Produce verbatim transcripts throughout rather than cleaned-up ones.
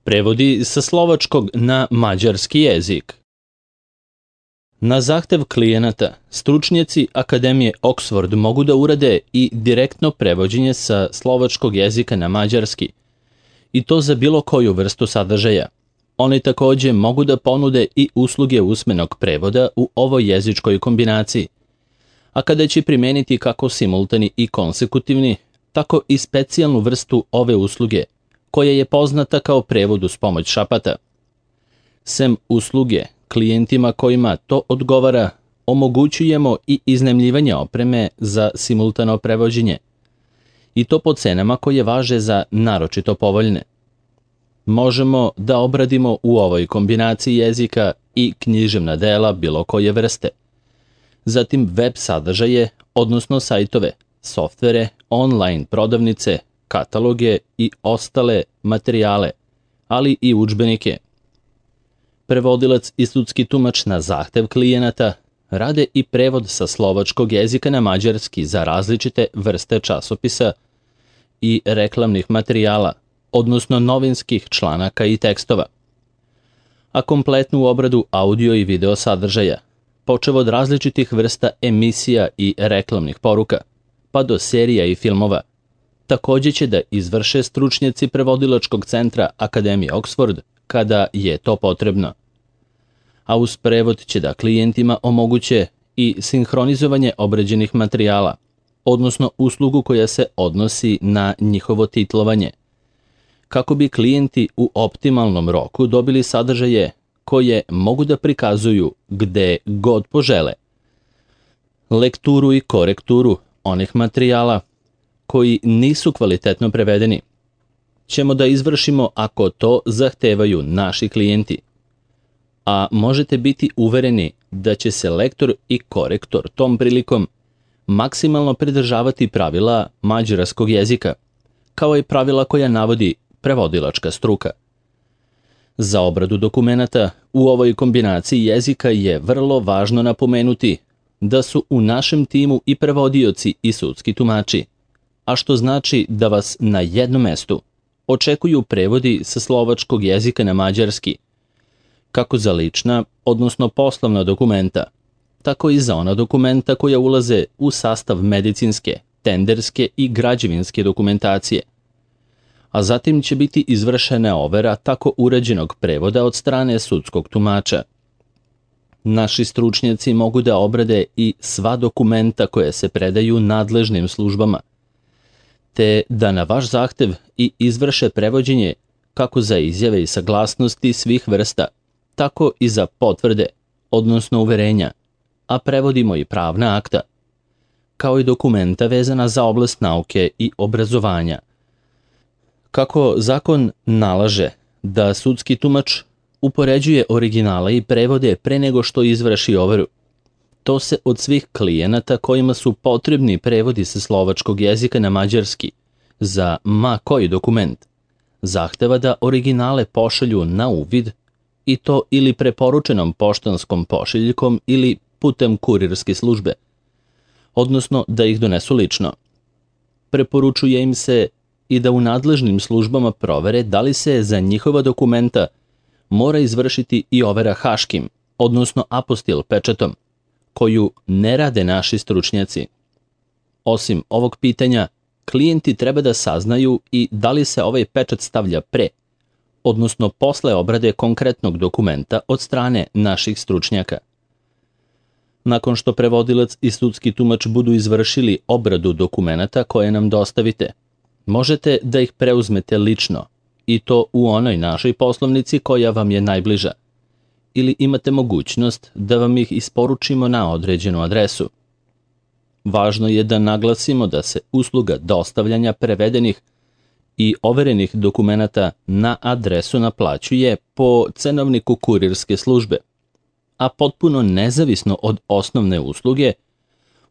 Prevodi sa slovačkog na mađarski jezik. Na zahtev klijenata, stručnjaci Akademije Oxford mogu da urade i direktno prevođenje sa slovačkog jezika na mađarski, i to za bilo koju vrstu sadržaja. Oni takođe mogu da ponude i usluge usmenog prevoda u ovoj jezičkoj kombinaciji, a kada će primeniti kako simultani i konsekutivni, tako i specijalnu vrstu ove usluge, koja je poznata kao prevod uz pomoć šapata. Sem usluge, klijentima kojima to odgovara, omogućujemo i iznajmljivanje opreme za simultano prevođenje, i to po cenama koje važe za naročito povoljne. Možemo da obradimo u ovoj kombinaciji jezika i književna dela bilo koje vrste, zatim web sadržaje, odnosno sajtove, softvere, online prodavnice, kataloge i ostale materijale, ali i udžbenike. Prevodilac i sudski tumač na zahtev klijenata rade i prevod sa slovačkog jezika na mađarski za različite vrste časopisa i reklamnih materijala, odnosno novinskih članaka i tekstova, a kompletnu obradu audio i video sadržaja, počev od različitih vrsta emisija i reklamnih poruka, pa do serija i filmova, takođe će da izvrše stručnjaci prevodilačkog centra Akademije Oxford kada je to potrebno. A uz prevod će da klijentima omoguće i sinhronizovanje obrađenih materijala, odnosno uslugu koja se odnosi na njihovo titlovanje, kako bi klijenti u optimalnom roku dobili sadržaje koje mogu da prikazuju gde god požele. Lekturu i korekturu onih materijala koji nisu kvalitetno prevedeni ćemo da izvršimo ako to zahtevaju naši klijenti. A možete biti uvereni da će se lektor i korektor tom prilikom maksimalno pridržavati pravila mađarskog jezika, kao i pravila koja navodi prevodilačka struka. Za obradu dokumenata u ovoj kombinaciji jezika je vrlo važno napomenuti da su u našem timu i prevodioci i sudski tumači, a što znači da vas na jednom mestu očekuju prevodi sa slovačkog jezika na mađarski, kako za lična, odnosno poslovna dokumenta, tako i za ona dokumenta koja ulaze u sastav medicinske, tenderske i građevinske dokumentacije. A zatim će biti izvršena overa tako urađenog prevoda od strane sudskog tumača. Naši stručnjaci mogu da obrade i sva dokumenta koje se predaju nadležnim službama, te da na vaš zahtev i izvrše prevođenje kako za izjave i saglasnosti svih vrsta, tako i za potvrde, odnosno uverenja, a prevodimo i pravna akta, kao i dokumenta vezana za oblast nauke i obrazovanja. Kako zakon nalaže da sudski tumač upoređuje originale i prevode pre nego što izvrši overu, to se od svih klijenata kojima su potrebni prevodi sa slovačkog jezika na mađarski za ma koji dokument zahteva da originale pošalju na uvid, i to ili preporučenom poštanskom pošiljkom ili putem kurirske službe, odnosno da ih donesu lično. Preporučuje im se i da u nadležnim službama provere da li se za njihova dokumenta mora izvršiti i overa haškim, odnosno apostil pečatom, koju ne rade naši stručnjaci. Osim ovog pitanja, klijenti treba da saznaju i da li se ovaj pečat stavlja pre, odnosno posle obrade konkretnog dokumenta od strane naših stručnjaka. Nakon što prevodilac i sudski tumač budu izvršili obradu dokumenata koje nam dostavite, možete da ih preuzmete lično, i to u onoj našoj poslovnici koja vam je najbliža, ili imate mogućnost da vam ih isporučimo na određenu adresu. Važno je da naglasimo da se usluga dostavljanja prevedenih i overenih dokumenata na adresu naplaćuje po cenovniku kurirske službe, a potpuno nezavisno od osnovne usluge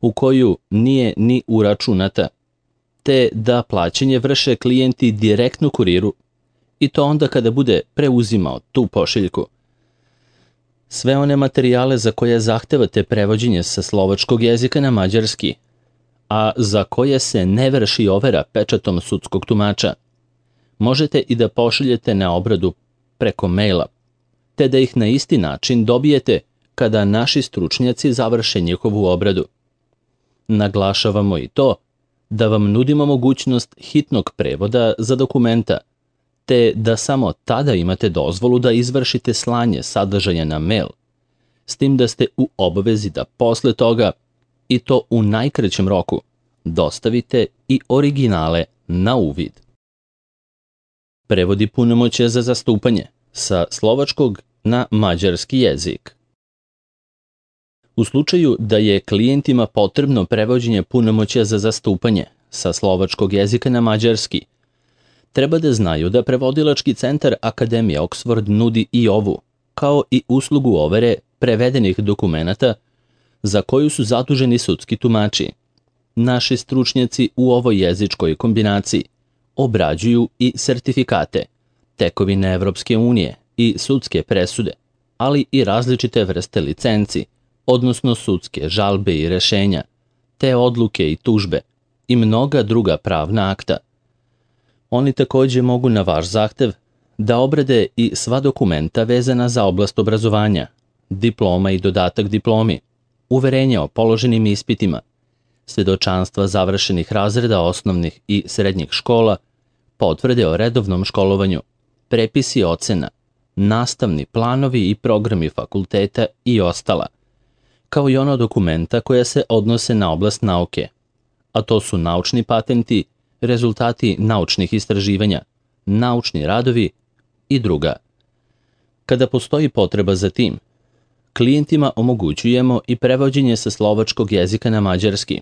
u koju nije ni uračunata, te da plaćanje vrše klijenti direktno kuriru, i to onda kada bude preuzimao tu pošiljku. Sve one materijale za koje zahtevate prevođenje sa slovačkog jezika na mađarski, a za koje se ne vrši overa pečatom sudskog tumača, možete i da pošaljete na obradu preko maila, te da ih na isti način dobijete kada naši stručnjaci završe njihovu obradu. Naglašavamo i to da vam nudimo mogućnost hitnog prevoda za dokumenta, te da samo tada imate dozvolu da izvršite slanje sadržaja na mail, s tim da ste u obavezi da posle toga, i to u najkraćem roku, dostavite i originale na uvid. Prevodi punomoćja za zastupanje sa slovačkog na mađarski jezik. U slučaju da je klijentima potrebno prevođenje punomoćja za zastupanje sa slovačkog jezika na mađarski, treba da znaju da prevodilački centar Akademije Oxford nudi i ovu, kao i uslugu overe prevedenih dokumenata za koju su zaduženi sudski tumači. Naši stručnjaci u ovoj jezičkoj kombinaciji obrađuju i sertifikate, tekovine Evropske unije i sudske presude, ali i različite vrste licenci, odnosno sudske žalbe i rešenja, te odluke i tužbe i mnoga druga pravna akta. Oni takođe mogu na vaš zahtev da obrade i sva dokumenta vezana za oblast obrazovanja, diploma i dodatak diplomi, uverenja o položenim ispitima, svedočanstva završenih razreda osnovnih i srednjih škola, potvrde o redovnom školovanju, prepisi ocena, nastavni planovi i programi fakulteta i ostala, kao i ono dokumenta koja se odnose na oblast nauke, a to su naučni patenti, rezultati naučnih istraživanja, naučni radovi i druga. Kada postoji potreba za tim, klijentima omogućujemo i prevođenje sa slovačkog jezika na mađarski,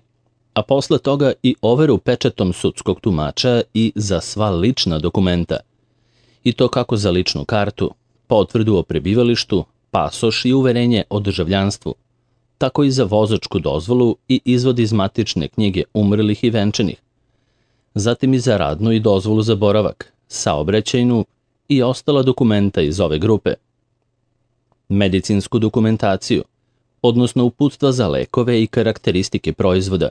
a posle toga i overu pečatom sudskog tumača i za sva lična dokumenta, i to kako za ličnu kartu, potvrdu o prebivalištu, pasoš i uverenje o državljanstvu, tako i za vozačku dozvolu i izvod iz matične knjige umrlih i venčanih, zatim i za radnu i dozvolu za boravak, saobraćajnu i ostala dokumenta iz ove grupe, medicinsku dokumentaciju, odnosno uputstva za lekove i karakteristike proizvoda,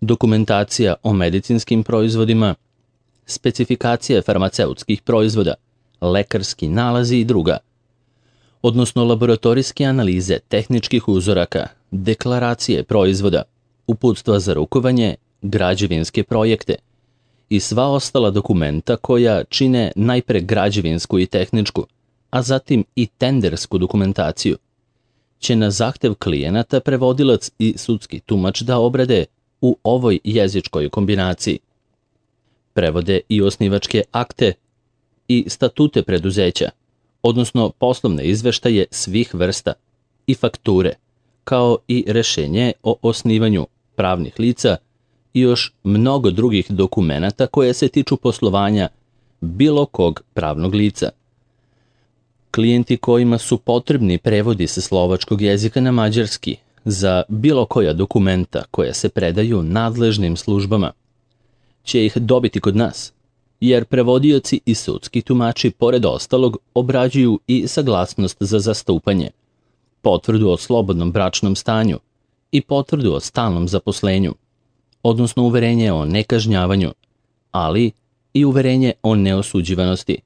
dokumentacija o medicinskim proizvodima, specifikacije farmaceutskih proizvoda, lekarski nalazi i druga, odnosno laboratorijske analize tehničkih uzoraka, deklaracije proizvoda, uputstva za rukovanje, građevinske projekte i sva ostala dokumenta koja čine najpre građevinsku i tehničku, a zatim i tendersku dokumentaciju, će na zahtev klijenata prevodilac i sudski tumač da obrade u ovoj jezičkoj kombinaciji. Prevode i osnivačke akte i statute preduzeća, odnosno poslovne izveštaje svih vrsta i fakture, kao i rešenje o osnivanju pravnih lica i još mnogo drugih dokumenata koje se tiču poslovanja bilo kog pravnog lica. Klijenti kojima su potrebni prevodi sa slovačkog jezika na mađarski za bilo koja dokumenta koja se predaju nadležnim službama će ih dobiti kod nas, jer prevodioci i sudski tumači pored ostalog obrađuju i saglasnost za zastupanje, potvrdu o slobodnom bračnom stanju i potvrdu o stalnom zaposlenju, odnosno uverenje o nekažnjavanju, ali i uverenje o neosuđivanosti,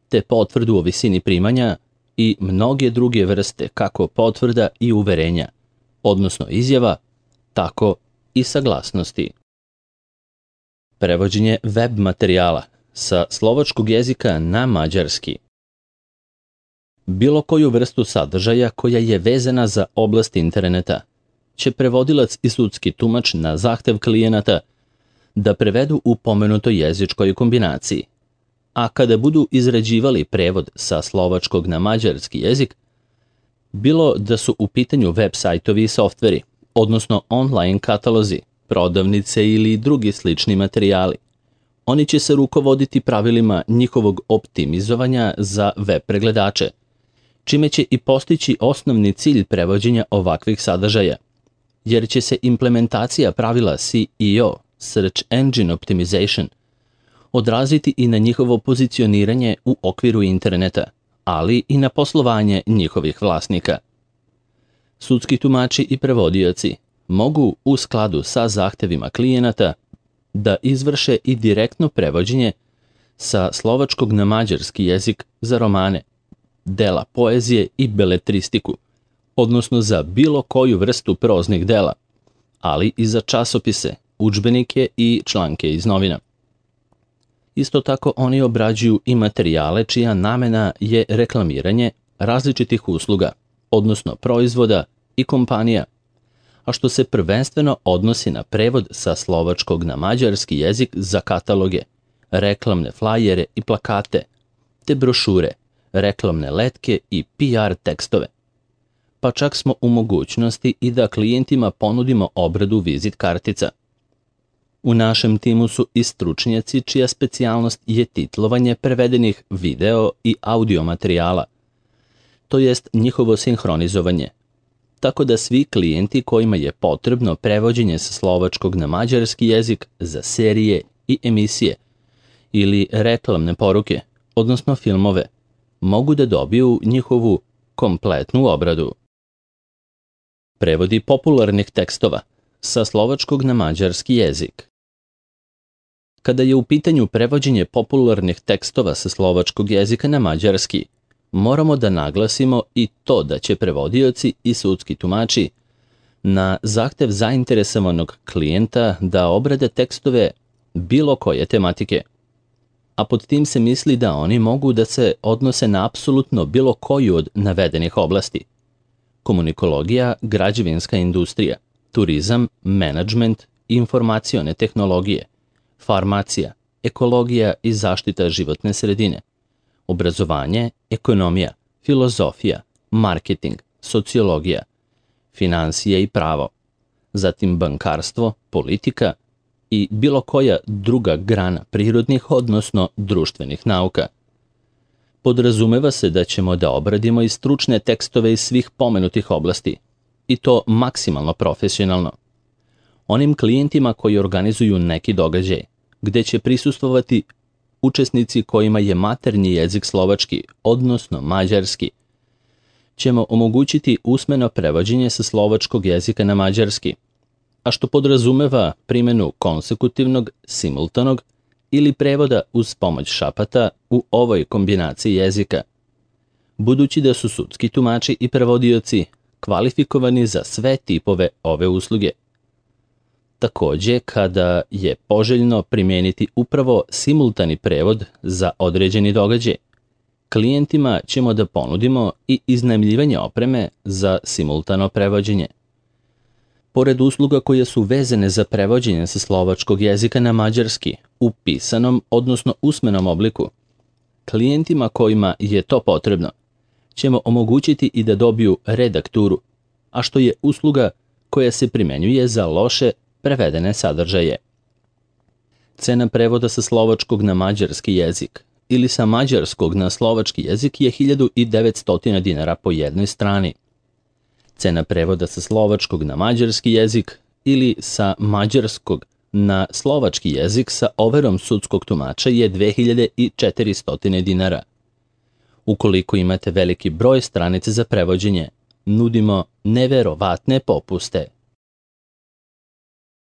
te potvrdu o visini primanja i mnoge druge vrste kako potvrda i uverenja, odnosno izjava, tako i saglasnosti. Prevođenje web materijala sa slovačkog jezika na mađarski. Bilo koju vrstu sadržaja koja je vezana za oblast interneta će prevodilac i sudski tumač na zahtev klijenata da prevedu u pomenutoj jezičkoj kombinaciji, a kada budu izrađivali prevod sa slovačkog na mađarski jezik, bilo da su u pitanju web sajtovi i softveri, odnosno online katalozi, prodavnice ili drugi slični materijali, oni će se rukovoditi pravilima njihovog optimizovanja za web pregledače, čime će i postići osnovni cilj prevođenja ovakvih sadržaja, jer će se implementacija pravila S E O, Search Engine Optimization, odraziti i na njihovo pozicioniranje u okviru interneta, ali i na poslovanje njihovih vlasnika. Sudski tumači i prevodioci mogu u skladu sa zahtevima klijenata da izvrše i direktno prevođenje sa slovačkog na mađarski jezik za romane, dela poezije i beletristiku, odnosno za bilo koju vrstu proznih dela, ali i za časopise, udžbenike i članke iz novina. Isto tako oni obrađuju i materijale čija namena je reklamiranje različitih usluga, odnosno proizvoda i kompanija, a što se prvenstveno odnosi na prevod sa slovačkog na mađarski jezik za kataloge, reklamne flajere i plakate, te brošure, reklamne letke i P R tekstove. Pa čak smo u mogućnosti i da klijentima ponudimo obradu vizit kartica. U našem timu su i stručnjaci čija specijalnost je titlovanje prevedenih video i audio materijala, to jest njihovo sinhronizovanje, tako da svi klijenti kojima je potrebno prevođenje sa slovačkog na mađarski jezik za serije i emisije ili reklamne poruke, odnosno filmove, mogu da dobiju njihovu kompletnu obradu. Prevodi popularnih tekstova sa slovačkog na mađarski jezik. Kada je u pitanju prevođenje popularnih tekstova sa slovačkog jezika na mađarski, moramo da naglasimo i to da će prevodioci i sudski tumači na zahtev zainteresovanog klijenta da obrade tekstove bilo koje tematike, a pod tim se misli da oni mogu da se odnose na apsolutno bilo koju od navedenih oblasti: komunikologija, građevinska industrija, turizam, menadžment, informacione tehnologije, farmacija, ekologija i zaštita životne sredine, obrazovanje, ekonomija, filozofija, marketing, sociologija, finansije i pravo, zatim bankarstvo, politika i bilo koja druga grana prirodnih, odnosno društvenih nauka. Podrazumeva se da ćemo da obradimo i stručne tekstove iz svih pomenutih oblasti, i to maksimalno profesionalno. Onim klijentima koji organizuju neki događaj, gde će prisustvovati učesnici kojima je maternji jezik slovački, odnosno mađarski, ćemo omogućiti usmeno prevođenje sa slovačkog jezika na mađarski, a što podrazumeva primjenu konsekutivnog, simultanog ili prevoda uz pomoć šapata u ovoj kombinaciji jezika, budući da su sudski tumači i prevodioci kvalifikovani za sve tipove ove usluge. Takođe, kada je poželjno primijeniti upravo simultani prevod za određeni događaj, klijentima ćemo da ponudimo i iznajmljivanje opreme za simultano prevođenje. Pored usluga koje su vezane za prevođenje sa slovačkog jezika na mađarski u pisanom, odnosno usmenom obliku, klijentima kojima je to potrebno ćemo omogućiti i da dobiju redakturu, a što je usluga koja se primenjuje za loše prevedene sadržaje. Cena prevoda sa slovačkog na mađarski jezik ili sa mađarskog na slovački jezik je hiljadu devetsto dinara po jednoj strani. Cena prevoda sa slovačkog na mađarski jezik ili sa mađarskog na slovački jezik sa overom sudskog tumača je dve hiljade četiristo dinara. Ukoliko imate veliki broj stranica za prevođenje, nudimo neverovatne popuste.